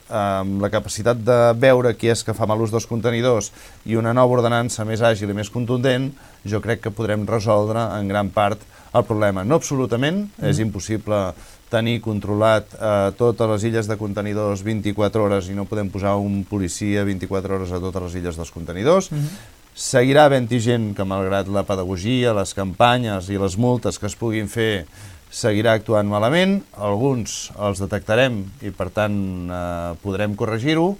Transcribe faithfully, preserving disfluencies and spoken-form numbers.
amb la capacitat de veure qui és que fa mal ús dels contenidors i una nova ordenança més àgil i més contundent, jo crec que podrem resoldre en gran part el problema. No absolutament, mm. és impossible tenir controlat eh, totes les illes de contenidors vint-i-quatre hores i no podem posar un policia vint-i-quatre hores a totes les illes dels contenidors. Mm-hmm. Seguirà havent-hi gent que, malgrat la pedagogia, les campanyes i les multes que es puguin fer, seguirà actuant malament. Alguns els detectarem i, per tant, eh, podrem corregir-ho,